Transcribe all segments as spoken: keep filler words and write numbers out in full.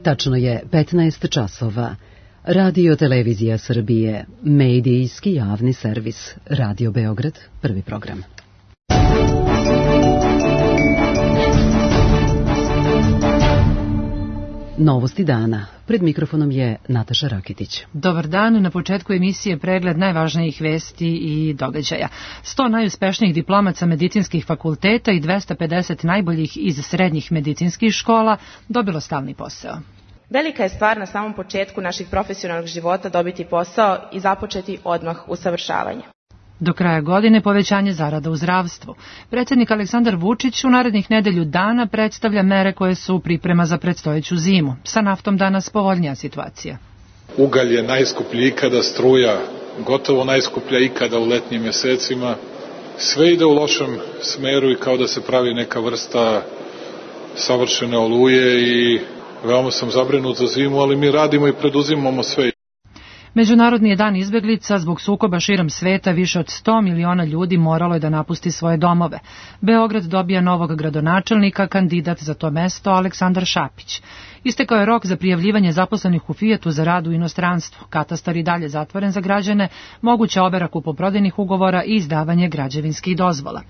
Tačno je petnaest časova. Radio Televizija Srbije, medijski javni servis, Radio Beograd, prvi program. Novosti dana. Pred mikrofonom je Nataša Rakitić. Dobar dan. Na početku emisije pregled najvažnijih vesti i događaja. sto najuspešnijih diplomaca medicinskih fakulteta i dvesta pedeset najboljih iz srednjih medicinskih škola dobilo stalni posao. Velika je stvar na samom početku naših profesionalnog života dobiti posao i započeti odmah usavršavanje. Do kraja godine povećanje zarada u zdravstvu. Predsjednik Aleksandar Vučić u narednih nedelju dana predstavlja mere koje su priprema za predstojeću zimu. Sa naftom danas povoljnija situacija. Ugalj je najskuplji ikada, struja gotovo najskuplja ikada u letnjim mjesecima. Sve ide u lošem smeru i kao da se pravi neka vrsta savršene oluje i veoma sam zabrinut za zimu, ali mi radimo i preduzimamo sve. Međunarodni je dan izbeglica, zbog sukoba širom sveta više od sto miliona ljudi moralo je da napusti svoje domove. Beograd dobija novog gradonačelnika, kandidat za to mesto Aleksandar Šapić. Istekao je rok za prijavljivanje zaposlenih u Fijatu za rad u inostranstvu. Katastar i dalje zatvoren za građane, moguća overa kupoprodajnih ugovora i izdavanje građevinskih dozvola.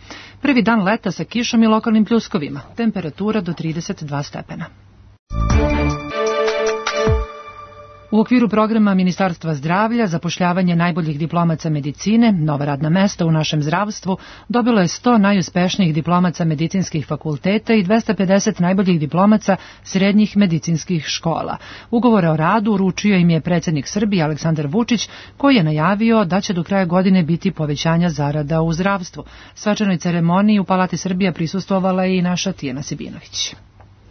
Prvi dan leta sa kišom i lokalnim pljuskovima. Temperatura do trideset dva stepena. U okviru programa Ministarstva zdravlja zapošljavanje najboljih diplomaca medicine, nova radna mesta u našem zdravstvu, dobilo je sto najuspešnijih diplomaca medicinskih fakulteta i dvesta pedeset najboljih diplomaca srednjih medicinskih škola. Ugovore o radu uručio im je predsjednik Srbije Aleksandar Vučić, koji je najavio da će do kraja godine biti povećanja zarada u zdravstvu. Svečanoj ceremoniji u Palati Srbija prisustvovala je i naša Tijana Sibinović.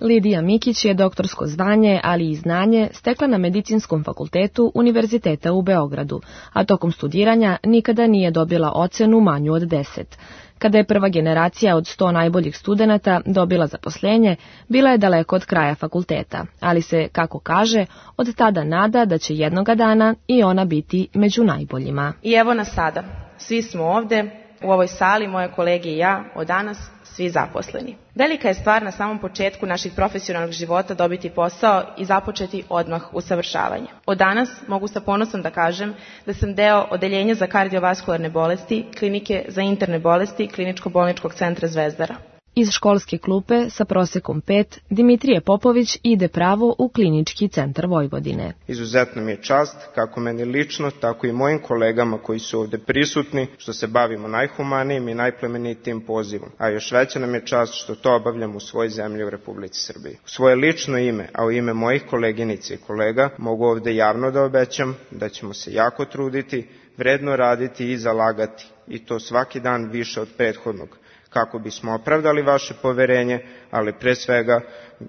Lidija Mikić je doktorsko zvanje, ali i znanje stekla na Medicinskom fakultetu Univerziteta u Beogradu, a tokom studiranja nikada nije dobila ocenu manju od deset. Kada je prva generacija od sto najboljih studenata dobila zaposlenje, bila je daleko od kraja fakulteta, ali se, kako kaže, od tada nada da će jednoga dana i ona biti među najboljima. I evo nas sada. Svi smo ovde, u ovoj sali, moje kolege i ja, od danas svi zaposleni. Velika je stvar na samom početku naših profesionalnog života dobiti posao i započeti odmah usavršavanje. Od danas mogu sa ponosom da kažem da sam deo odeljenja za kardiovaskularne bolesti, klinike za interne bolesti Kliničko-bolničkog centra Zvezdara. Iz školske klupe sa prosekom pet, Dimitrije Popović ide pravo u Klinički centar Vojvodine. Izuzetno mi je čast, kako meni lično, tako i mojim kolegama koji su ovde prisutni, što se bavimo najhumanijim i najplemenitijim pozivom. A još veća nam je čast što to obavljamo u svojoj zemlji u Republici Srbiji. U svoje lično ime, a u ime mojih koleginice i kolega, mogu ovde javno da obećam da ćemo se jako truditi, vredno raditi i zalagati, i to svaki dan više od prethodnog, kako bismo opravdali vaše poverenje, ali pre svega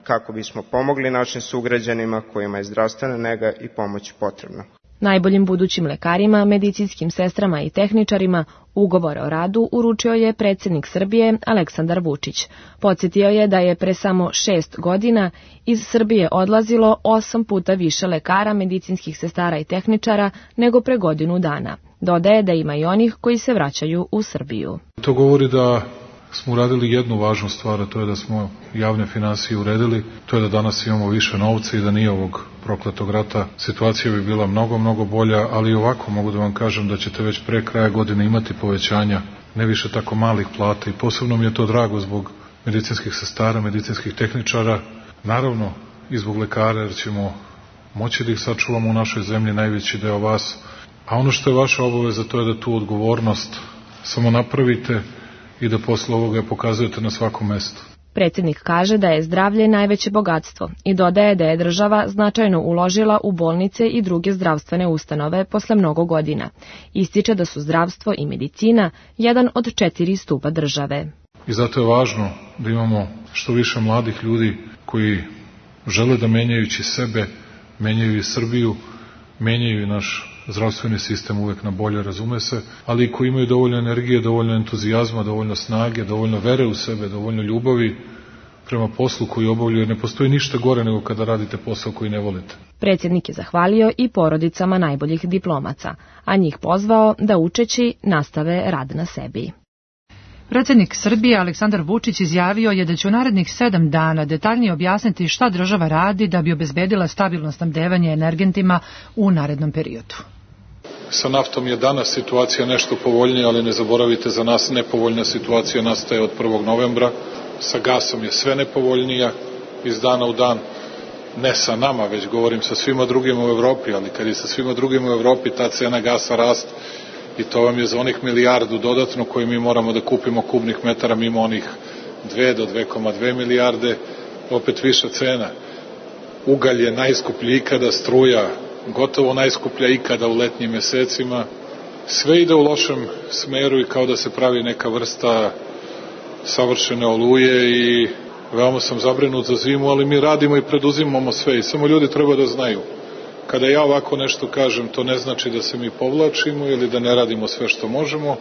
kako bismo pomogli našim sugrađanima kojima je zdravstvena nega i pomoć potrebna. Najboljim budućim lekarima, medicinskim sestrama i tehničarima ugovor o radu uručio je predsjednik Srbije Aleksandar Vučić. Podsjetio je da je pre samo šest godina iz Srbije odlazilo osam puta više lekara, medicinskih sestara i tehničara nego pre godinu dana. Dodaje da ima i onih koji se vraćaju u Srbiju. To govori da smo uradili jednu važnu stvar, a to je da smo javne finansije uredili, to je da danas imamo više novca i da nije ovog prokletog rata, situacija bi bila mnogo, mnogo bolja, ali i ovako mogu da vam kažem da ćete već pre kraja godine imati povećanja, ne više tako malih plata, i posebno mi je to drago zbog medicinskih sestara, medicinskih tehničara, naravno i zbog lekara, jer ćemo moći da ih sačuvamo u našoj zemlji, najveći deo vas, a ono što je vaša obaveza, to je da tu odgovornost samo napravite i da posle ovoga pokazujete na svakom mestu. Predsjednik kaže da je zdravlje najveće bogatstvo i dodaje da je država značajno uložila u bolnice i druge zdravstvene ustanove posle mnogo godina. Ističe da su zdravstvo i medicina jedan od četiri stupa države. I zato je važno da imamo što više mladih ljudi koji žele da menjajući sebe, menjaju i Srbiju, menjaju i naš zdravstveni sistem uvek na bolje, razume se, ali i koji imaju dovoljno energije, dovoljno entuzijazma, dovoljno snage, dovoljno vere u sebe, dovoljno ljubavi prema poslu koji obavljaju. Ne postoji ništa gore nego kada radite posao koji ne volite. Predsjednik je zahvalio i porodicama najboljih diplomaca, a njih pozvao da učeći nastave rad na sebi. Predsjednik Srbije Aleksandar Vučić izjavio je da će u narednih sedam dana detaljnije objasniti šta država radi da bi obezbedila stabilno snabdevanje energentima u narednom periodu. Sa naftom je danas situacija nešto povoljnija, ali ne zaboravite, za nas nepovoljna situacija nastaje od prvog novembra. Sa gasom je sve nepovoljnija iz dana u dan. Ne sa nama, već govorim sa svima drugima u Evropi, ali kad je sa svima drugima u Evropi ta cena gasa raste i to vam je za onih milijardu dodatno koje mi moramo da kupimo kubnih metara mimo onih dve do dve zarez dve milijarde, opet viša cena. Ugalj je najskuplji ikada, struja gotovo najskuplja ikada u letnjim mesecima. Sve ide u lošem smeru i kao da se pravi neka vrsta savršene oluje i veoma sam zabrinut za zimu, ali mi radimo i preduzimamo sve i samo ljudi treba da znaju. Kada ja ovako nešto kažem, to ne znači da se mi povlačimo ili da ne radimo sve što možemo.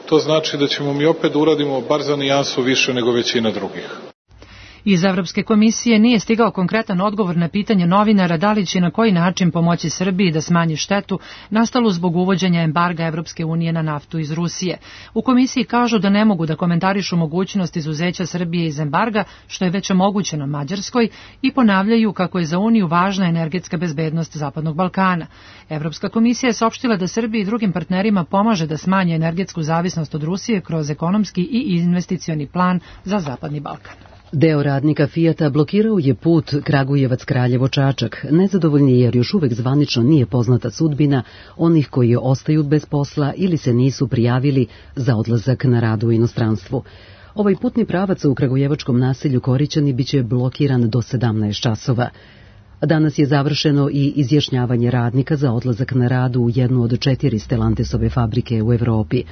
To znači da ćemo mi opet da uradimo bar za nijansu više nego većina drugih. Iz Evropske komisije nije stigao konkretan odgovor na pitanje novinara da li će na koji način pomoći Srbiji da smanji štetu nastalu zbog uvođenja embarga Evropske unije na naftu iz Rusije. U komisiji kažu da ne mogu da komentarišu mogućnost izuzeća Srbije iz embarga, što je već omogućeno Mađarskoj, i ponavljaju kako je za Uniju važna energetska bezbednost Zapadnog Balkana. Evropska komisija je saopštila da Srbiji i drugim partnerima pomaže da smanje energetsku zavisnost od Rusije kroz ekonomski i investicioni plan za Zapadni Balkan. Deo radnika Fijata blokirao je put Kragujevac-Kraljevo-Čačak, nezadovoljni jer još uvek zvanično nije poznata sudbina onih koji ostaju bez posla ili se nisu prijavili za odlazak na rad u inostranstvu. Ovaj putni pravac u kragujevačkom naselju Korićani biće blokiran do sedamnaest časova. Danas je završeno i izjašnjavanje radnika za odlazak na rad u jednu od četiri Stellantesove fabrike u Evropi.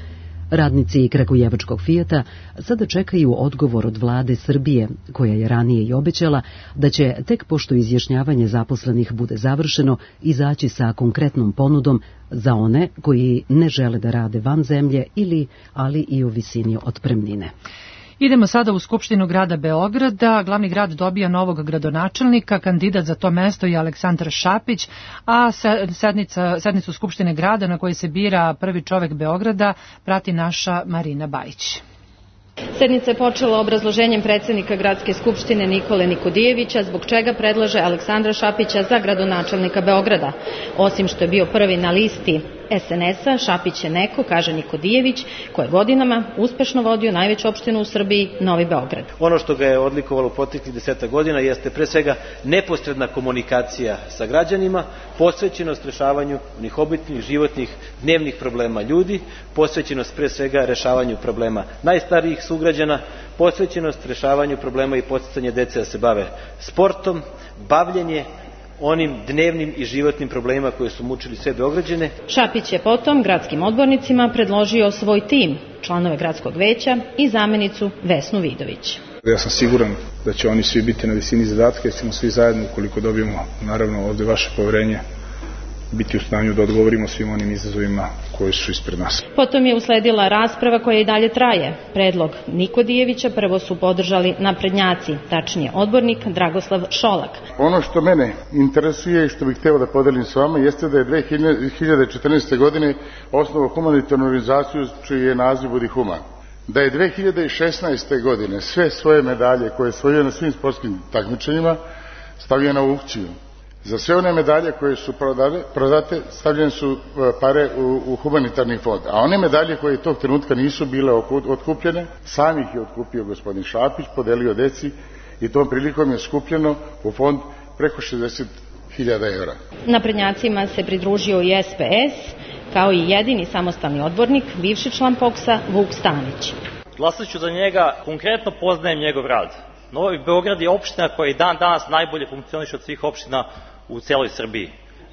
Radnici kragujevačkog Fijata sada čekaju odgovor od vlade Srbije, koja je ranije i obećala da će, tek pošto izjašnjavanje zaposlenih bude završeno, izaći sa konkretnom ponudom za one koji ne žele da rade van zemlje ili, ali i o visini otpremnine. Idemo sada u Skupštinu grada Beograda. Glavni grad dobija novog gradonačelnika, kandidat za to mesto je Aleksandar Šapić, a sednica, sednicu Skupštine grada na kojoj se bira prvi čovek Beograda prati naša Marina Bajić. Sednica je počela obrazloženjem predsjednika Gradske skupštine Nikole Nikodijevića, zbog čega predlaže Aleksandra Šapića za gradonačelnika Beograda. Osim što je bio prvi na listi es en es-a, Šapić je neko, kaže Nikodijević, koji je godinama uspešno vodio najveću opštinu u Srbiji, Novi Beograd. Ono što ga je odlikovalo proteklih deseta godina jeste pre svega neposredna komunikacija sa građanima, posvećenost rešavanju onih običnih, životnih, dnevnih problema ljudi, posvećenost pre svega rešavanju problema najstarijih sugrađana, posvećenost rešavanju problema i podsticanje dece da se bave sportom, bavljenje onim dnevnim i životnim problemima koje su mučili sve Beograđane. Šapić je potom gradskim odbornicima predložio svoj tim, članove gradskog veća i zamenicu Vesnu Vidović. Ja sam siguran da će oni svi biti na visini zadatka, jer ćemo svi zajedno, ukoliko dobijemo naravno ovde vaše poverenje, biti u stanju da odgovorimo svim onim izazovima koji su ispred nas. Potom je usledila rasprava koja i dalje traje. Predlog Nikodijevića prvo su podržali naprednjaci, tačnije odbornik Dragoslav Šolak. Ono što mene interesuje i što bih hteo da podelim s vama jeste da je dve hiljade četrnaeste. godine osnovao humanitarnu organizaciju čiji je naziv Budi human. Da je dve hiljade šesnaeste. godine sve svoje medalje koje je osvojio na svim sportskim takmičenjima stavio na aukciju. Za sve one medalje koje su prodate, prodate stavljene su pare u, u humanitarni fond. A one medalje koje tog trenutka nisu bile otkupljene, sam ih je otkupio gospodin Šapić, podelio deci i tom prilikom je skupljeno u fond preko šezdeset hiljada evra. Naprednjacima se pridružio i es pe es, kao i jedini samostalni odbornik, bivši član poksa Vuk Stanić. Glasat ću za njega, konkretno poznajem njegov rad. Novi Beograd je opština koja i dan danas najbolje funkcioniše od svih opština u celoj Srbiji.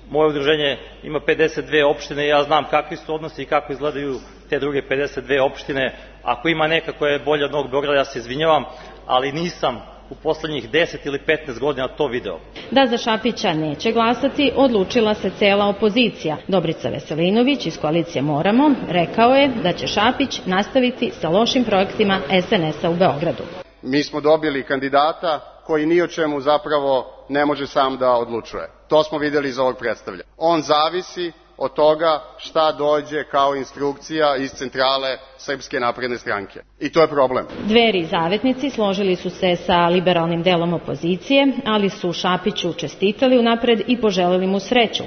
Moje udruženje ima pedeset dve opštine i ja znam kakvi su odnosi i kako izgledaju te druge pedeset dve opštine. Ako ima neka koja je bolja od Novog Beograda, ja se izvinjavam, ali nisam u poslednjih deset ili petnaest godina to video. Da za Šapića neće glasati, odlučila se cela opozicija. Dobrica Veselinović iz koalicije Moramo rekao je da će Šapić nastaviti sa lošim projektima es en es-a u Beogradu. Mi smo dobili kandidata koji ni o čemu zapravo ne može sam da odlučuje. To smo videli iz ovog predstavlja. On zavisi od toga šta dođe kao instrukcija iz centrale Srpske napredne stranke. I to je problem. Dveri i Zavetnici složili su se sa liberalnim delom opozicije, ali su Šapiću čestitali unapred i poželeli mu sreću.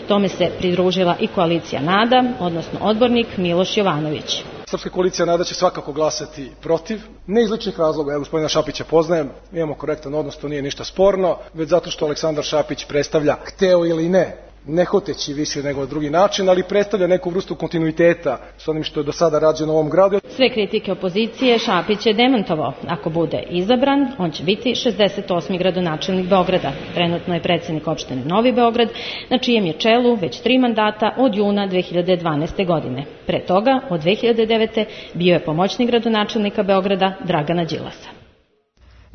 Tome se pridružila i koalicija NADA, odnosno odbornik Miloš Jovanović. Srpska koalicija NADA će svakako glasati protiv, ne iz ličnih razloga, ja gospodina Šapića poznajem, imamo korektan odnos, to nije ništa sporno, već zato što Aleksandar Šapić predstavlja, hteo ili ne, ne hoteći više nego na drugi način, ali predstavlja neku vrstu kontinuiteta s onim što je do sada rađeno u ovom gradu. Sve kritike opozicije Šapić je demantovao. Ako bude izabran, on će biti šezdeset osmi gradonačelnik Beograda. Trenutno je predsednik opštine Novi Beograd, na čijem je čelu već tri mandata od juna dve hiljade dvanaeste. godine. Pre toga, od dve hiljade devete. bio je pomoćnik gradonačelnika Beograda Dragana Đilasa.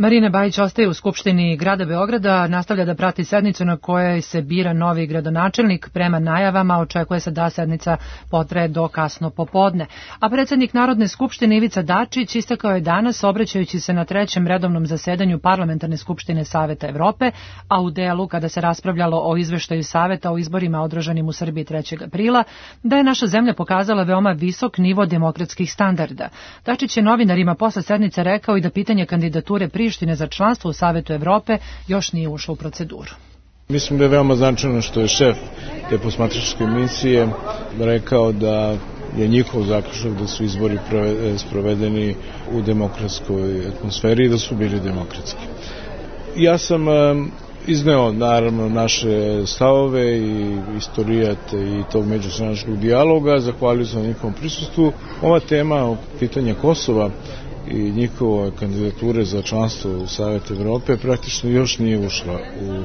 Marina Bajić ostaje u Skupštini grada Beograda, nastavlja da prati sednicu na kojoj se bira novi gradonačelnik. Prema najavama očekuje se da sednica potraje do kasno popodne. A predsednik Narodne skupštine Ivica Dačić istakao je danas, obraćajući se na trećem redovnom zasedanju Parlamentarne skupštine Saveta Evrope, a u delu kada se raspravljalo o izveštaju Saveta o izborima održanim u Srbiji trećeg aprila, da je naša zemlja pokazala veoma visok nivo demokratskih standarda. Dačić je novinarima posle sednice rekao i da pitanje kandidature Prištine za članstvo u Savetu Evrope još nije ušlo u proceduru. Mislim da je veoma značajno što je šef te posmatračke misije rekao da je njihov zaključak da su izbori sprovedeni u demokratskoj atmosferi i da su bili demokratski. Ja sam izneo naravno naše stavove i istorijat i tog međustranačkog dijaloga, zahvalio sam njihovom prisustvu. Ova tema, pitanja Kosova i njihove kandidature za članstvo u Savetu Evrope praktično još nije ušla u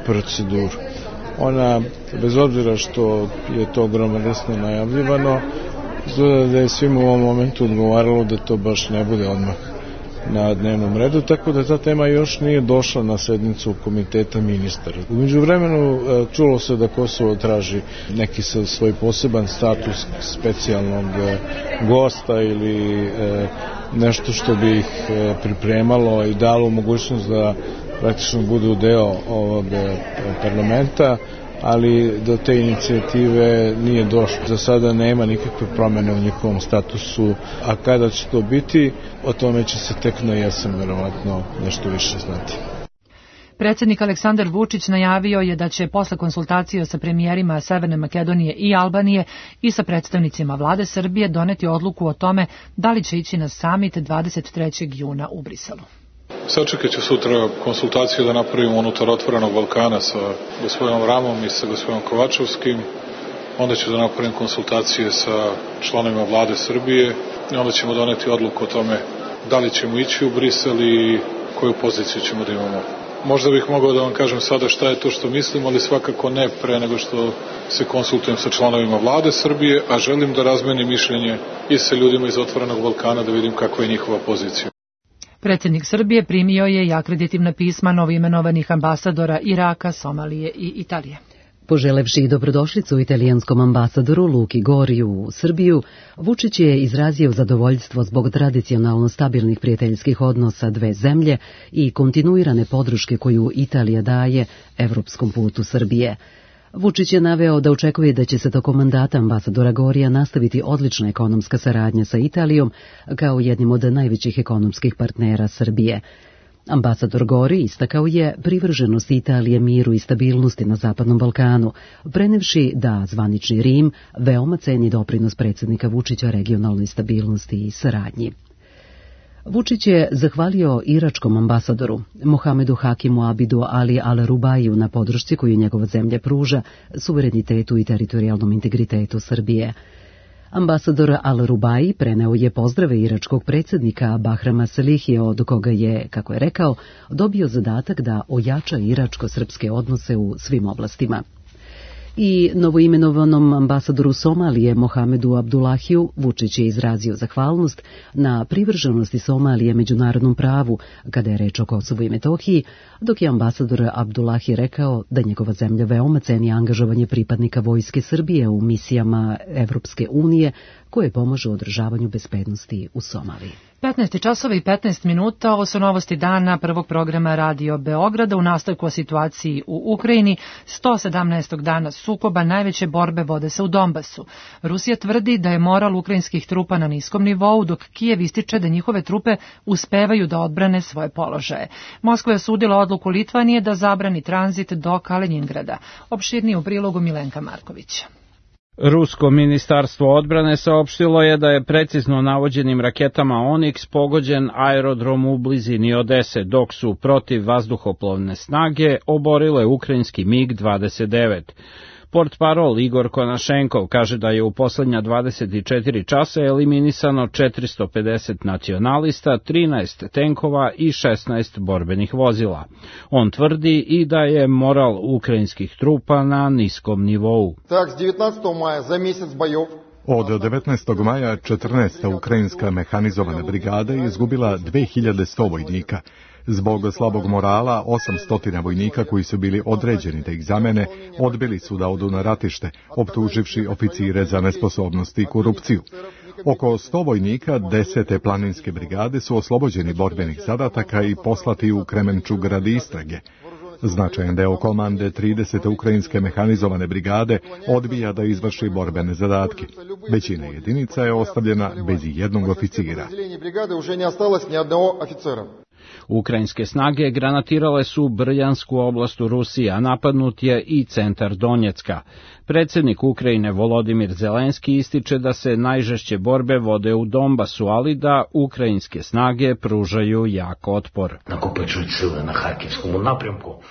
proceduru. Ona, bez obzira što je to gromadesno najavljivano, izgleda da je svima u ovom momentu odgovaralo da to baš ne bude odmah na dnevnom redu, tako da ta tema još nije došla na sednicu komiteta ministara. U međuvremenu čulo se da Kosovo traži neki svoj poseban status specijalnog gosta ili nešto što bi ih pripremalo i dalo mogućnost da praktično budu deo ovog parlamenta, ali do te inicijative nije došlo. Za sada nema nikakve promene u njihovom statusu, a kada će to biti, o tome će se tek na jesen verovatno nešto više znati. Predsednik Aleksandar Vučić najavio je da će posle konsultacija sa premijerima Severne Makedonije i Albanije i sa predstavnicima vlade Srbije doneti odluku o tome da li će ići na samit dvadeset trećeg juna u Briselu. Sačekat ću sutra konsultacije da napravimo unutar Otvorenog Balkana sa gospodinom Ramom i sa gospodinom Kovačevskim. Onda ću da napravim konsultacije sa članovima vlade Srbije i onda ćemo doneti odluku o tome da li ćemo ići u Brisel i koju poziciju ćemo da imamo. Možda bih mogao da vam kažem sada šta je to što mislim, ali svakako ne pre nego što se konsultujem sa članovima vlade Srbije, a želim da razmenim mišljenje i sa ljudima iz Otvorenog Balkana da vidim kakva je njihova pozicija. Predsjednik Srbije primio je i akreditivna pisma novoimenovanih ambasadora Iraka, Somalije i Italije. Poželevši dobrodošlicu italijanskom ambasadoru Luki Goriju u Srbiju, Vučić je izrazio zadovoljstvo zbog tradicionalno stabilnih prijateljskih odnosa dve zemlje i kontinuirane podrške koju Italija daje evropskom putu Srbije. Vučić je naveo da očekuje da će se tokom mandata ambasadora Gorija nastaviti odlična ekonomska saradnja sa Italijom kao jednim od najvećih ekonomskih partnera Srbije. Ambasador Gori istakao je privrženost Italije miru i stabilnosti na Zapadnom Balkanu, prenevši da zvanični Rim veoma ceni doprinos predsjednika Vučića regionalnoj stabilnosti i saradnji. Vučić je zahvalio iračkom ambasadoru Mohamedu Hakimu Abidu Ali Al-Rubaiju na podršci koju njegova zemlja pruža suverenitetu i teritorijalnom integritetu Srbije. Ambasador Al-Rubai preneo je pozdrave iračkog predsjednika Bahrama Salihija, od koga je, kako je rekao, dobio zadatak da ojača iračko-srpske odnose u svim oblastima. I novoimenovanom ambasadoru Somalije Mohamedu Abdullahiju Vučić je izrazio zahvalnost na privrženosti Somalije međunarodnom pravu kada je reč o Kosovu i Metohiji, dok je ambasador Abdullahi rekao da njegova zemlja veoma ceni angažovanje pripadnika Vojske Srbije u misijama Evropske unije koje pomažu održavanju bezbednosti u Somaliji. petnaest časova i petnaest minuta, ovo su novosti dana prvog programa Radio Beograda. U nastavku o situaciji u Ukrajini, sto sedamnaestog dana sukoba, najveće borbe vode se u Donbasu. Rusija tvrdi da je moral ukrajinskih trupa na niskom nivou, dok Kijev ističe da njihove trupe uspevaju da odbrane svoje položaje. Moskva je osudila odluku Litvanije da zabrani tranzit do Kaliningrada. Opširnije u prilogu Milenka Markovića. Rusko ministarstvo odbrane saopštilo je da je precizno navođenim raketama Oniks pogođen aerodrom u blizini Odese, dok su protiv vazduhoplovne snage oborile ukrajinski mig dvadeset devet. Portparol Igor Konašenkov kaže da je u poslednja dvadeset četiri časa eliminisano četiristo pedeset nacionalista, trinaest tenkova i šesnaest borbenih vozila. On tvrdi i da je moral ukrajinskih trupa na niskom nivou. Tak, s devetnaestog maja za mjesec bojov Od devetnaestog maja četrnaesta ukrajinska mehanizovana brigada je izgubila dve hiljade sto vojnika. Zbog slabog morala, osamsto vojnika koji su bili određeni da ih zamene, odbili su da odu na ratište, optuživši oficire za nesposobnost i korupciju. Oko sto vojnika desete planinske brigade su oslobođeni borbenih zadataka i poslati u Kremenčug radi istrage. Značajan deo komande tridesete ukrajinske mehanizovane brigade odbija da izvrši borbene zadatke. Većina jedinica je ostavljena bez jednog oficira. Ukrajinske snage granatirale su Brjansku oblast u Rusiji, a napadnut je i centar Donjecka. Predsjednik Ukrajine Volodimir Zelenski ističe da se najžešće borbe vode u Donbasu, ali da ukrajinske snage pružaju jak otpor.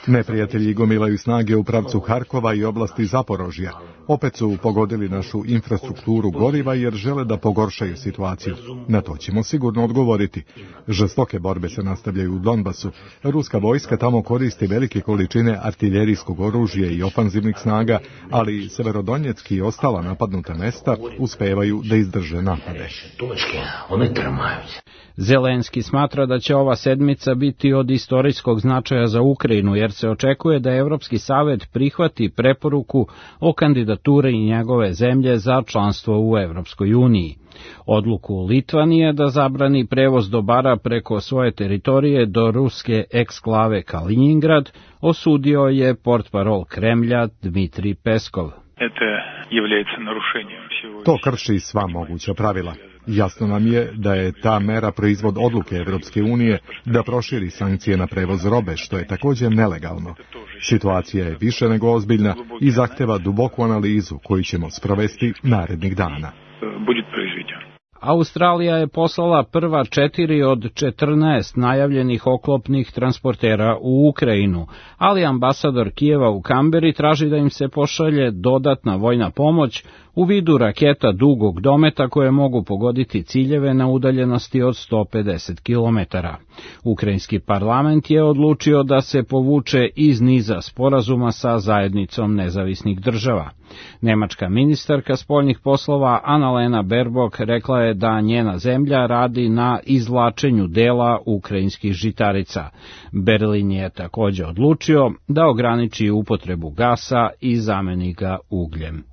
Neprijatelji gomilaju snage u pravcu Harkova i oblasti Zaporožja. Opet su pogodili našu infrastrukturu goriva jer žele da pogoršaju situaciju. Na to ćemo sigurno odgovoriti. Žestoke borbe se nastavljaju u Donbasu. Ruska vojska tamo koristi velike količine artiljerijskog oružja i ofanzivnih snaga, ali Severodonjecki i ostala napadnuta mesta uspevaju da izdrže napade. Zelenski smatra da će ova sedmica biti od istorijskog značaja za Ukrajinu, jer se očekuje da Evropski savet prihvati preporuku o kandidaturi njegove zemlje za članstvo u Evropskoj uniji. Odluku Litvanije da zabrani prevoz dobara preko svoje teritorije do ruske eksklave Kaliningrad osudio je portparol Kremlja Dmitrij Peskov. To krši sva moguća pravila. Jasno nam je da je ta mera proizvod odluke Evropske unije da proširi sankcije na prevoz robe, što je također nelegalno. Situacija je više nego ozbiljna i zahteva duboku analizu koju ćemo sprovesti narednih dana. Australija je poslala prva četiri od četrnaest najavljenih oklopnih transportera u Ukrajinu, ali ambasador Kijeva u Kamberi traži da im se pošalje dodatna vojna pomoć u vidu raketa dugog dometa koje mogu pogoditi ciljeve na udaljenosti od sto pedeset kilometara. Ukrajinski parlament je odlučio da se povuče iz niza sporazuma sa zajednicom nezavisnih država. Nemačka ministarka spoljnih poslova Annalena Baerbock rekla je da njena zemlja radi na izvlačenju dela ukrajinskih žitarica. Berlin je također odlučio da ograniči upotrebu gasa i zameni ga ugljem.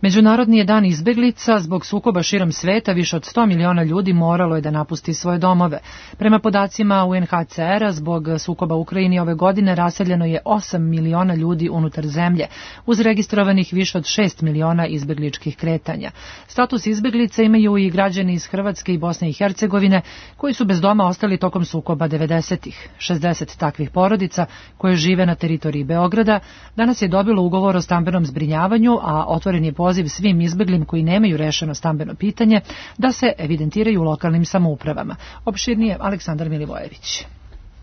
Međunarodni je dan izbeglica. Zbog sukoba širom sveta više od sto miliona ljudi moralo je da napusti svoje domove. Prema podacima U N H C R-a, zbog sukoba u Ukrajini ove godine raseljeno je osam miliona ljudi unutar zemlje, uz registrovanih više od šest miliona izbegličkih kretanja. Status izbeglica imaju i građani iz Hrvatske i Bosne i Hercegovine, koji su bez doma ostali tokom sukoba devedesetih. šezdeset takvih porodica koje žive na teritoriji Beograda danas je dobilo ugovor o stambenom zbrinjavanju, a otvoren je poziv svim izbeglim koji nemaju rešeno stambeno pitanje da se evidentiraju u lokalnim samoupravama. Opširnije Aleksandar Milivojević.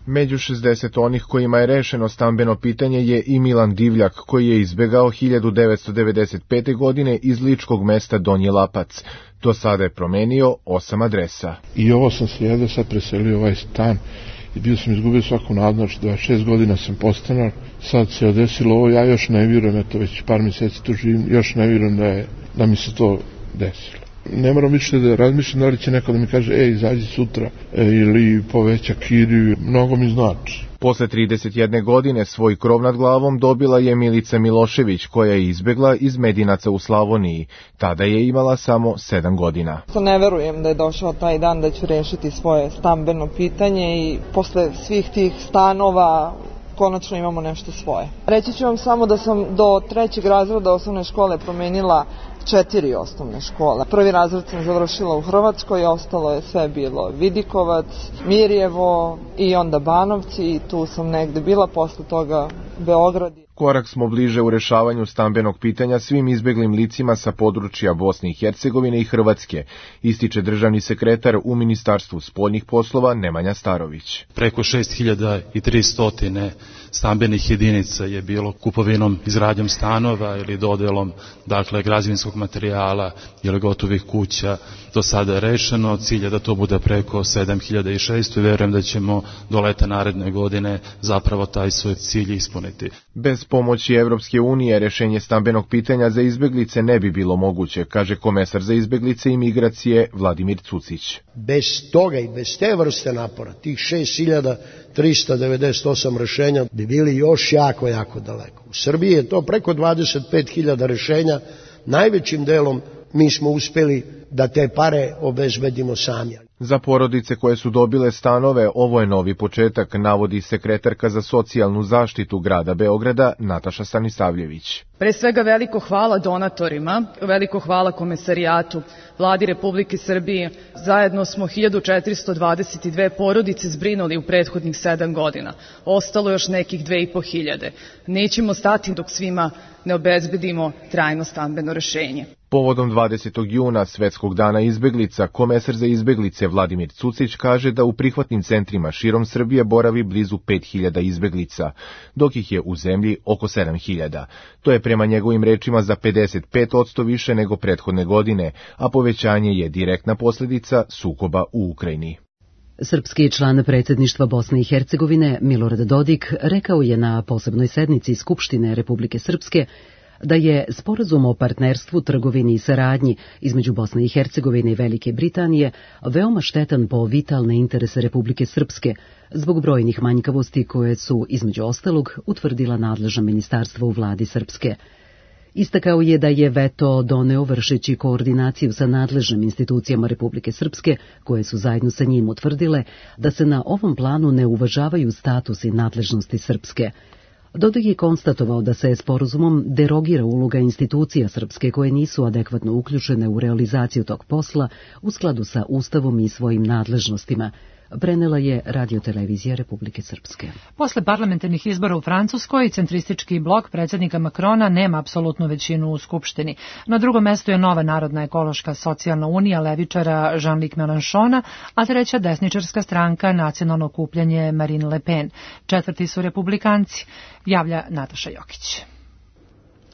Među šezdeset onih kojima je rešeno stambeno pitanje je i Milan Divljak, koji je izbegao hiljadu devetsto devedeset pete. godine iz ličkog mesta Donji Lapac. Do sada je promenio osam adresa. I ovo sam se ja da sad preselio ovaj stan i bio sam izgubio svaku nadnoć, dvadeset šest godina sam postanar, sad se odesilo ovo, ja još ne vjerujem, eto već par mjeseci tu živim, još ne vjerujem da, je, da mi se to desilo. Ne moram više da razmišljam da li će neko da mi kaže, ej, izađi sutra, e, ili poveća kiriju, mnogo mi znači. Posle trideset jedne godine svoj krov nad glavom dobila je Milica Milošević, koja je izbegla iz Medinaca u Slavoniji. Tada je imala samo sedam godina. Ne verujem da je došao taj dan da ću rešiti svoje stambeno pitanje i posle svih tih stanova konačno imamo nešto svoje. Reći ću vam samo da sam do trećeg razreda osnovne škole promenila četiri osnovne škole. Prvi razred sam završila u Hrvatskoj, ostalo je sve bilo Vidikovac, Mirjevo i onda Banovci i tu sam negde bila, posle toga Beograd. Korak smo bliže u rešavanju stambenog pitanja svim izbeglim licima sa područja Bosne i Hercegovine i Hrvatske, ističe državni sekretar u Ministarstvu spoljnih poslova Nemanja Starović. Preko šest hiljada tristo stambenih jedinica je bilo kupovinom, izgradnjom stanova ili dodelom, dakle, građevinskog materijala ili gotovih kuća do sada rešeno. Cilj je da to bude preko sedam hiljada šesto i verujem da ćemo do leta naredne godine zapravo taj svoj cilj ispuniti. Bez pomoći Evropske unije rešenje stambenog pitanja za izbeglice ne bi bilo moguće, kaže komesar za izbeglice i migracije Vladimir Cucić. Bez toga i bez te vrste napora, tih šest hiljada tristo devedeset osam rešenja bi bili još jako, jako daleko. U Srbiji je to preko dvadeset pet hiljada rešenja, najvećim delom mi smo uspeli da te pare obezbedimo sami. Za porodice koje su dobile stanove, ovo je novi početak, navodi sekretarka za socijalnu zaštitu grada Beograda Nataša Stanisavljević. Pre svega veliko hvala donatorima, veliko hvala Komesarijatu, Vladi Republike Srbije. Zajedno smo hiljadu četiristo dvadeset dve porodice zbrinuli u prethodnih sedam godina. Ostalo još nekih dve i po hiljade. Nećemo stati dok svima ne obezbedimo trajno stambeno rešenje. Povodom dvadesetog juna, Svetskog dana izbeglica, komesar za izbeglice Vladimir Cucić kaže da u prihvatnim centrima širom Srbije boravi blizu pet hiljada izbeglica, dok ih je u zemlji oko sedam hiljada. To je prema njegovim rečima za pedeset pet posto više nego prethodne godine, a povećanje je direktna posljedica sukoba u Ukrajini. Srpski član predsjedništva Bosne i Hercegovine Milorad Dodik rekao je na posebnoj sednici Skupštine Republike Srpske da je sporazum o partnerstvu, trgovini i saradnji između Bosne i Hercegovine i Velike Britanije veoma štetan po vitalne interese Republike Srpske zbog brojnih manjkavosti koje su, između ostalog, utvrdila nadležna ministarstva u vladi Srpske. Istakao je da je veto doneo vršeći koordinaciju sa nadležnim institucijama Republike Srpske, koje su zajedno sa njim utvrdile da se na ovom planu ne uvažavaju status i nadležnosti Srpske. Dodik je konstatovao da se sporazumom derogira uloga institucija Srpske koje nisu adekvatno uključene u realizaciju tog posla u skladu sa Ustavom i svojim nadležnostima, prenela je Radiotelevizija Republike Srpske. Posle parlamentarnih izbora u Francuskoj, centristički blok predsjednika Makrona nema apsolutnu većinu u Skupštini. Na drugom mestu je Nova narodna ekološka socijalna unija levičara Jean-Luc Mélenchona, a treća desničarska stranka Nacionalno okupljanje Marine Le Pen. Četvrti su republikanci, javlja Nataša Jokić.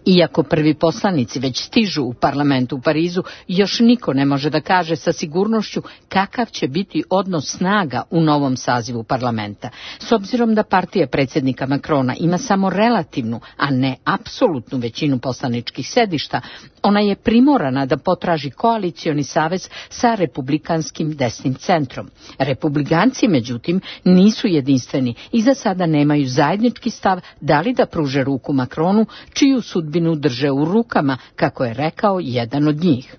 Iako prvi poslanici već stižu u parlamentu u Parizu, još niko ne može da kaže sa sigurnošću kakav će biti odnos snaga u novom sazivu parlamenta. S obzirom da partija predsjednika Makrona ima samo relativnu, a ne apsolutnu većinu poslaničkih sedišta, ona je primorana da potraži koalicioni savez sa republikanskim desnim centrom. Republikanci, međutim, nisu jedinstveni i za sada nemaju zajednički stav da li da pruže ruku Makronu, čiju sudbinu drže u rukama, kako je rekao jedan od njih.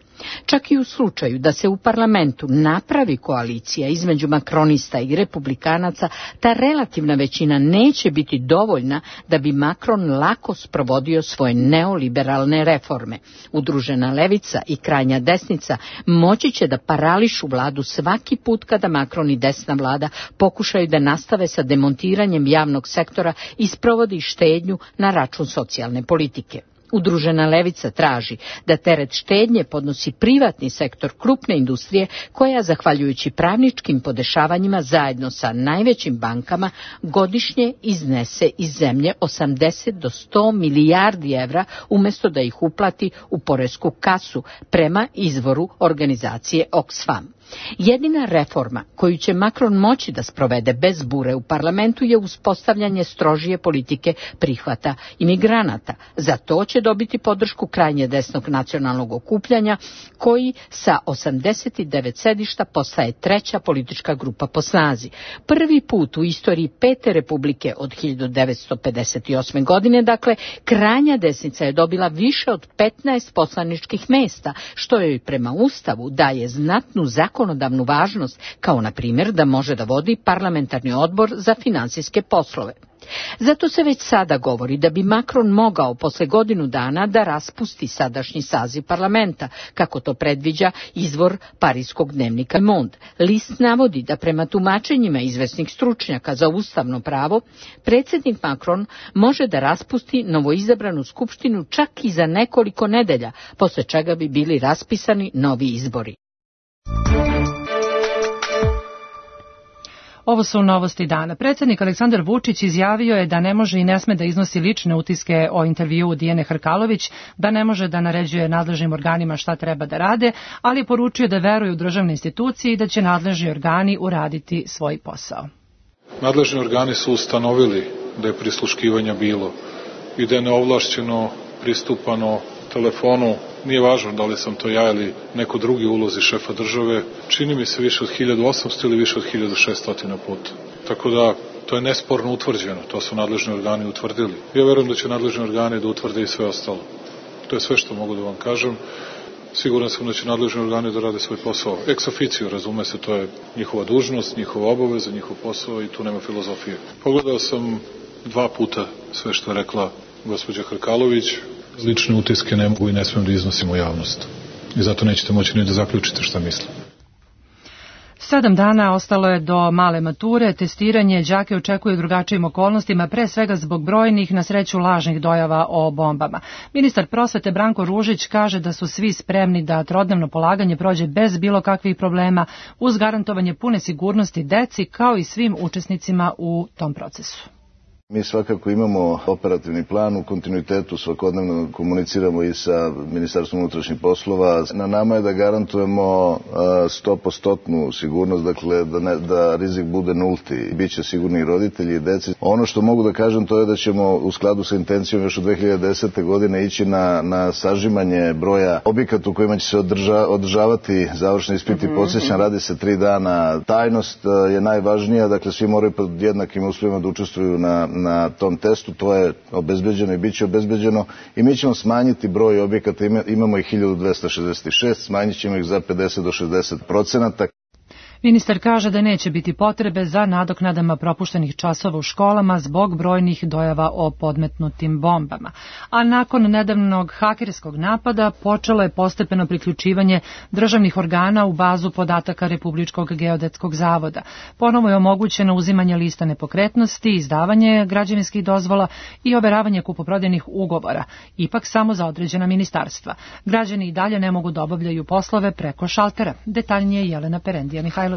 Čak i u slučaju da se u parlamentu napravi koalicija između makronista i republikanaca, ta relativna većina neće biti dovoljna da bi Makron lako sprovodio svoje neoliberalne reforme. Udružena levica i krajnja desnica moći će da parališu vladu svaki put kada Makron i desna vlada pokušaju da nastave sa demontiranjem javnog sektora i sprovodi štednju na račun socijalne politike. Udružena levica traži da teret štednje podnosi privatni sektor krupne industrije koja, zahvaljujući pravničkim podešavanjima zajedno sa najvećim bankama, godišnje iznese iz zemlje osamdeset do sto milijardi evra umjesto da ih uplati u poresku kasu prema izvoru organizacije Oxfam. Jedina reforma koju će Macron moći da sprovede bez bure u parlamentu je uspostavljanje strožije politike prihvata imigranata. Za to će dobiti podršku krajnje desnog nacionalnog okupljanja, koji sa osamdeset devet sedišta postaje treća politička grupa po snazi. Prvi put u istoriji Pete republike od hiljadu devetsto pedeset osme. godine, dakle, krajnja desnica je dobila više od petnaest poslaničkih mesta, što joj prema Ustavu daje znatnu zakonodavnu važnost, kao na primjer da može da vodi parlamentarni odbor za finansijske poslove. Zato se već sada govori da bi Macron mogao posle godinu dana da raspusti sadašnji saziv parlamenta, kako to predviđa izvor parijskog dnevnika Le Monde. List navodi da prema tumačenjima izvesnih stručnjaka za ustavno pravo, predsjednik Macron može da raspusti novoizabranu skupštinu čak i za nekoliko nedelja, posle čega bi bili raspisani novi izbori. Ovo su novosti dana. Predsjednik Aleksandar Vučić izjavio je da ne može i ne sme da iznosi lične utiske o intervjuu Dijane Hrkalović, da ne može da naređuje nadležnim organima šta treba da rade, ali je poručio da veruje u državne institucije i da će nadležni organi uraditi svoj posao. Nadležni organi su ustanovili da je prisluškivanja bilo i da je neovlašćeno pristupano telefonu. Nije važno da li sam to ja ili neko drugi u ulozi šefa države, čini mi se više od hiljadu osamsto ili više od hiljadu šesto puta. Tako da, to je nesporno utvrđeno, to su nadležni organi utvrdili. Ja verujem da će nadležni organi da utvrde i sve ostalo. To je sve što mogu da vam kažem. Siguran sam da će nadležni organi da rade svoj posao. Ex officio, razume se, to je njihova dužnost, njihova obaveza, njihov posao i tu nema filozofije. Pogledao sam dva puta sve što je rekla gospođa Hrkalović. Lične utiske ne mogu i ne smijem da iznosim u javnost. I zato nećete moći ni da zaključite šta mislim. Sedam dana ostalo je do male mature. Testiranje đake očekuje drugačijim okolnostima, pre svega zbog brojnih, na sreću, lažnih dojava o bombama. Ministar prosvete Branko Ružić kaže da su svi spremni da trodnevno polaganje prođe bez bilo kakvih problema, uz garantovanje pune sigurnosti deci kao i svim učesnicima u tom procesu. Mi svakako imamo operativni plan, u kontinuitetu svakodnevno komuniciramo i sa Ministarstvom unutrašnjih poslova. Na nama je da garantujemo sto posto sigurnost, dakle da, ne, da rizik bude nulti. Biće sigurni i roditelji i deci. Ono što mogu da kažem to je da ćemo u skladu sa intencijom još od dve hiljade desete. godine ići na, na sažimanje broja objekata u kojima će se održa, održavati završni ispiti. Mm-hmm. Podsjećam, radi se tri dana. Tajnost je najvažnija, dakle svi moraju pod jednakim uslovima da učestvuju na na tom testu, to je obezbeđeno i bit će obezbeđeno i mi ćemo smanjiti broj objekata, imamo ih hiljadu dvesta šezdeset šest, smanjit ćemo ih za pedeset do šezdeset procenata. Ministar kaže da neće biti potrebe za nadoknadama propuštenih časova u školama zbog brojnih dojava o podmetnutim bombama. A nakon nedavnog hakerskog napada počelo je postepeno priključivanje državnih organa u bazu podataka Republičkog geodetskog zavoda. Ponovo je omogućeno uzimanje lista nepokretnosti, izdavanje građevinskih dozvola i overavanje kupoprodajnih ugovora, ipak samo za određena ministarstva. Građani i dalje ne mogu da obavljaju poslove preko šaltera. Detaljnije Jelena Perendija Mihajlović.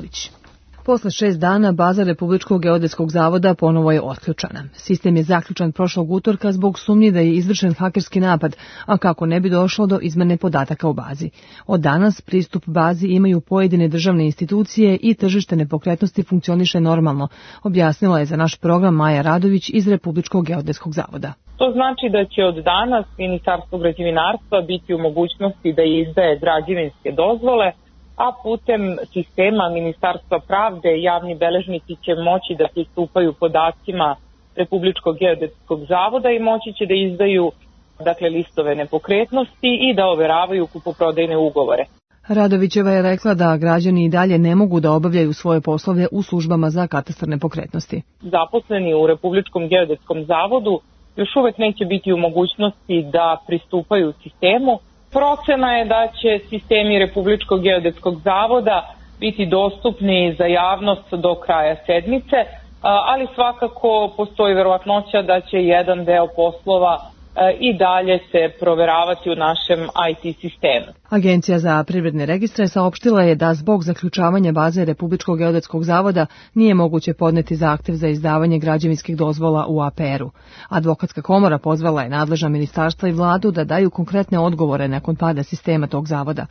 Posle šest dana baza Republičkog geodetskog zavoda ponovo je otključana. Sistem je zaključan prošlog utorka zbog sumnji da je izvršen hakerski napad, a kako ne bi došlo do izmene podataka u bazi. Od danas pristup bazi imaju pojedine državne institucije i tržište nepokretnosti funkcioniše normalno, objasnila je za naš program Maja Radović iz Republičkog geodetskog zavoda. To znači da će od danas Ministarstvo građevinarstva biti u mogućnosti da izdaje građevinske dozvole, a putem sistema Ministarstva pravde javni beležnici će moći da pristupaju podacima Republičkog geodetskog zavoda i moći će da izdaju dakle listove nepokretnosti i da overavaju kupoprodajne ugovore. Radovićeva je rekla da građani i dalje ne mogu da obavljaju svoje poslove u službama za katastar nepokretnosti. Zaposleni u Republičkom geodetskom zavodu još uvek neće biti u mogućnosti da pristupaju sistemu. Procena je da će sistemi Republičkog geodetskog zavoda biti dostupni za javnost do kraja sedmice, ali svakako postoji verovatnoća da će jedan deo poslova i dalje se proveravati u našem I T sistemu. Agencija za privredne registre saopštila je da zbog zaključavanja baze Republičkog geodetskog zavoda nije moguće podneti zahtev za izdavanje građevinskih dozvola u A P R-u. Advokatska komora pozvala je nadležna ministarstva i vladu da daju konkretne odgovore nakon pada sistema tog zavoda.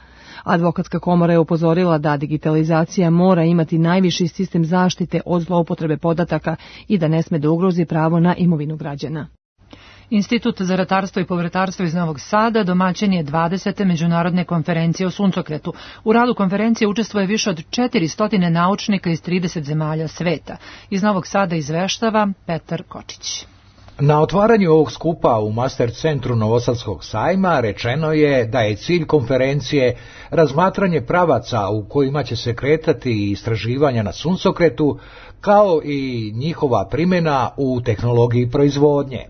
Advokatska komora je upozorila da digitalizacija mora imati najviši sistem zaštite od zloupotrebe podataka i da ne sme da ugrozi pravo na imovinu građana. Institut za ratarstvo i povrtarstvo iz Novog Sada domaćin je dvadesete međunarodne konferencije o suncokretu. U radu konferencije učestvuje više od četiristo naučnika iz trideset zemalja sveta. Iz Novog Sada izveštava Petar Kočić. Na otvaranju ovog skupa u Master centru Novosadskog sajma rečeno je da je cilj konferencije razmatranje pravaca u kojima će se kretati istraživanja na suncokretu, kao i njihova primjena u tehnologiji proizvodnje.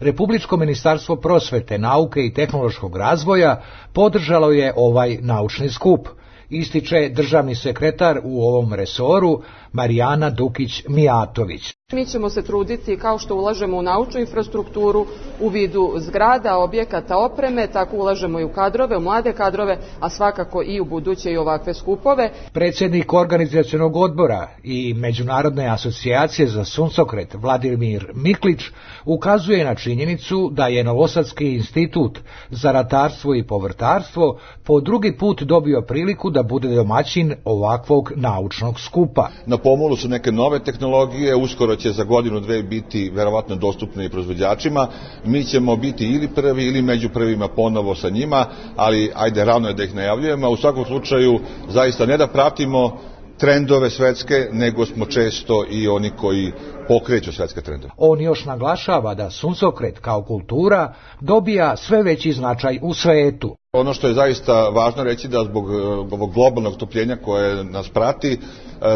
Republičko ministarstvo prosvete, nauke i tehnološkog razvoja podržalo je ovaj naučni skup, ističe državni sekretar u ovom resoru Marijana Dukić-Mijatović. Mi ćemo se truditi, kao što ulažemo u naučnu infrastrukturu u vidu zgrada, objekata, opreme, tako ulažemo i u kadrove, u mlade kadrove, a svakako i u buduće i ovakve skupove. Predsjednik organizacionog odbora i Međunarodne asocijacije za suncokret Vladimir Miklić ukazuje na činjenicu da je Novosadski institut za ratarstvo i povrtarstvo po drugi put dobio priliku da bude domaćin ovakvog naučnog skupa. Na pomolu su neke nove tehnologije, uskoro će za godinu dve biti verovatno dostupne i proizvođačima. Mi ćemo biti ili prvi ili među prvima ponovo sa njima, ali ajde rano je da ih najavljujemo. U svakom slučaju zaista ne da pratimo trendove svetske, nego smo često i oni koji pokreću svetske trendove. On još naglašava da suncokret kao kultura dobija sve veći značaj u svetu. Ono što je zaista važno reći da zbog ovog globalnog topljenja koje nas prati,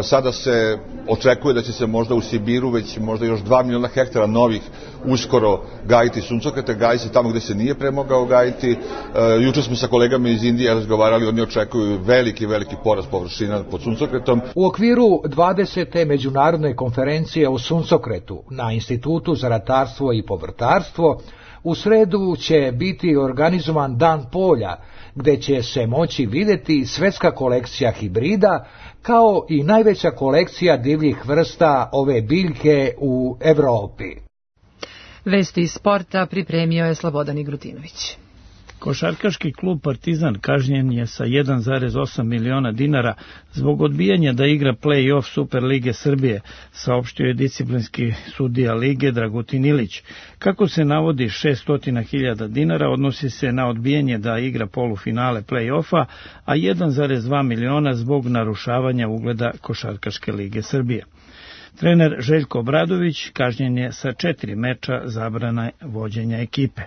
sada se očekuje da će se možda u Sibiru već možda još dva miliona hektara novih uskoro gajiti suncokreta, gaji se tamo gde se nije premogao gajiti. Juče smo sa kolegama iz Indije razgovarali, oni očekuju veliki, veliki porast površina pod suncokretom. U okviru dvadesete međunarodne konferencije o suncokretu na Institutu za ratarstvo i povrtarstvo u sredu će biti organizovan Dan polja, gde će se moći vidjeti svetska kolekcija hibrida, kao i najveća kolekcija divljih vrsta ove biljke u Evropi. Vesti iz sporta pripremio je Slobodan Igrutinović. Košarkaški klub Partizan kažnjen je sa jedan zarez osam miliona dinara zbog odbijanja da igra play-off Super lige Srbije, saopštio je disciplinski sudija lige Dragutin Ilić. Kako se navodi, šessto hiljada dinara odnosi se na odbijanje da igra polufinale play-offa, a jedan zarez dva miliona zbog narušavanja ugleda Košarkaške lige Srbije. Trener Željko Obradović kažnjen je sa četiri meča zabrane vođenja ekipe.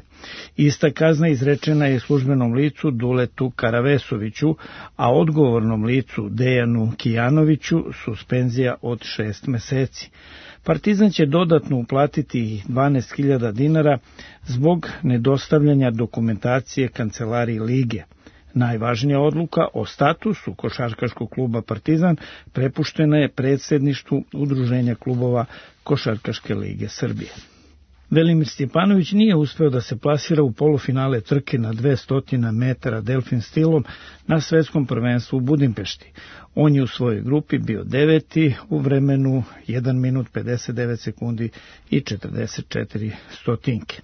Ista kazna izrečena je službenom licu Duletu Karavesoviću, a odgovornom licu Dejanu Kijanoviću suspenzija od šest meseci. Partizan će dodatno uplatiti dvanaest hiljada dinara zbog nedostavljanja dokumentacije kancelariji lige. Najvažnija odluka o statusu košarkaškog kluba Partizan prepuštena je predsjedništvu Udruženja klubova Košarkaške lige Srbije. Velimir Stjepanović nije uspeo da se plasira u polufinale trke na dvesta metara delfin stilom na svetskom prvenstvu u Budimpešti. On je u svojoj grupi bio deveti u vremenu jedan minut pedeset devet sekundi i četrdeset četiri stotinke.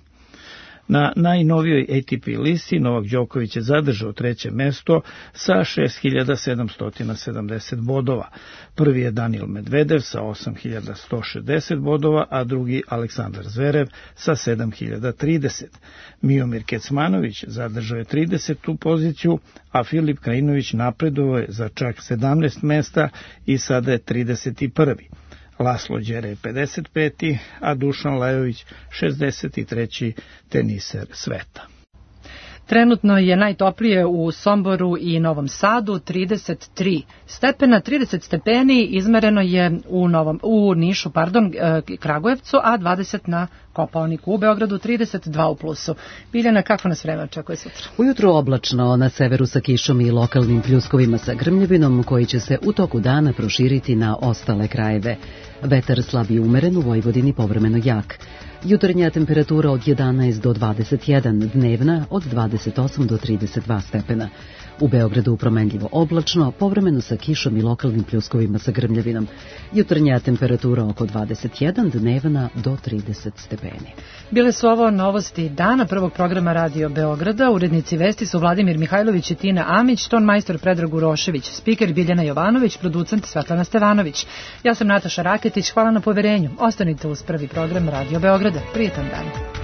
Na najnovijoj A T P listi Novak Đoković je zadržao treće mesto sa šest hiljada sedamsto sedamdeset bodova. Prvi je Danil Medvedev sa osam hiljada sto šezdeset bodova, a drugi Aleksandar Zverev sa sedam hiljada trideset. Miomir Kecmanović zadržao je tridesetu poziciju, a Filip Krajinović napredovao je za čak sedamnaest mesta i sada je trideset prvi. Laslo Đere je pedeset peti, a Dušan Lajović šezdeset treći teniser sveta. Trenutno je najtoplije u Somboru i Novom Sadu, trideset tri stepena, trideset stepeni izmereno je u, Novom, u Nišu, pardon, Kragujevcu, a dvadeset na Kopaoniku. U Beogradu trideset dva u plusu. Biljana, kako nas vreme očekuje sutra? Ujutro oblačno, na severu sa kišom i lokalnim pljuskovima sa grmljavinom koji će se u toku dana proširiti na ostale krajeve. Vetar slab i umeren, u Vojvodini povremeno jak. Jutarnja temperatura od jedanaest do dvadeset jedan, dnevna od dvadeset osam do trideset dva stepena. U Beogradu promenljivo oblačno, povremeno sa kišom i lokalnim pljuskovima sa grmljavinom. Jutarnja temperatura oko dvadeset jedan, dnevna do trideset stepeni. Bile su ovo novosti dana prvog programa Radio Beograda. Urednici vesti su Vladimir Mihajlović i Tina Amić, ton majstor Predrag Urošević, spiker Biljana Jovanović, producent Svetlana Stevanović. Ja sam Nataša Raketić, hvala na poverenju. Ostanite uz prvi program Radio Beograda. Prijetan dan.